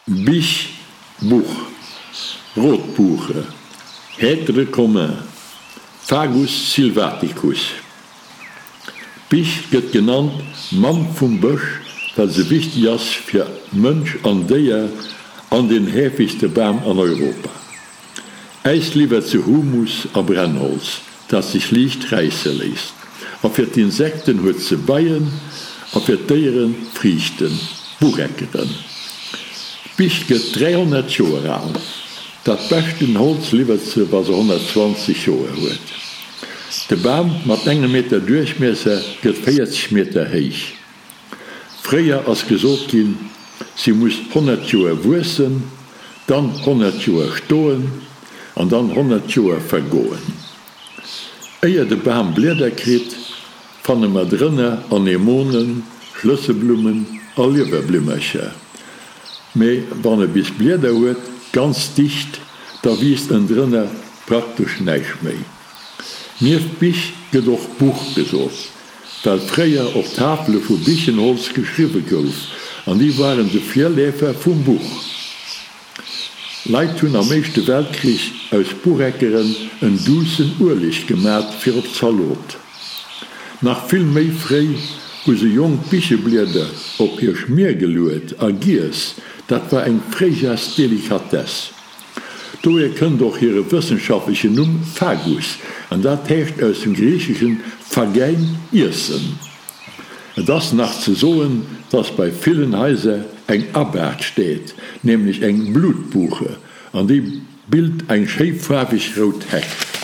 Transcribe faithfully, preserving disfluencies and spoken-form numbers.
Bich, Buch, Rotbuche, Hêtre commun, Fagus sylvaticus. D'Bich gëtt genannt Mamm vum Bësch, well se wichteg ass fir Mënsch an Déier an den heefegste Bam an Europa. Äis liwwert se Humus a Brennholz, dat sech liicht räisse léisst. A fir d'Insekten huet se Beien a fir d'Déiere Friichten, Bucheckeren. D'Bich gëtt dräihonnert Joer al. Dat beschten Holz liwwert se, wa se honnertzwanzeg Joer huet. De Bam mat engem Meter Duerchmiesser gëtt véierzeg Meter héich. Fréier ass gesot ginn, si muss honnert Joer wuessen, dann honnert Joer stoen an dann honnert Joer vergoen. Éier de Bam Blieder kritt, fanne mer drënner Anemonen, Schlësselblummen a Liewerblimmercher. Mee wann e bis Blieder huet, ganz dicht, da wiisst ënndrënner praktesch näischt méi. Nieft Bich gëtt och Buch gesot, well fréier op Tafele vu Bichenholz geschriwwe gouf, an déi waren de Virleefer vum Buch. Leit hunn am Éischte Weltkrich aus Bucheckeren en duussen Ueleg gemat fir op d'Zalot. Nach vill méi fréi hu se jonk Bicheblieder op hir Schmier geluet a giess, dat war eng Fréijaars-Delikatess. Dohier kënnt och hire wëssenschaftlechen Numm Fagus, an dat heescht aus dem Griicheschen phagein, iessen. Et ass nach ze soen, dass bei villen Haiser eng Abaart steet, nämlech eng Blutbuche, an déi bilt eng schéi faarweg rout Heck.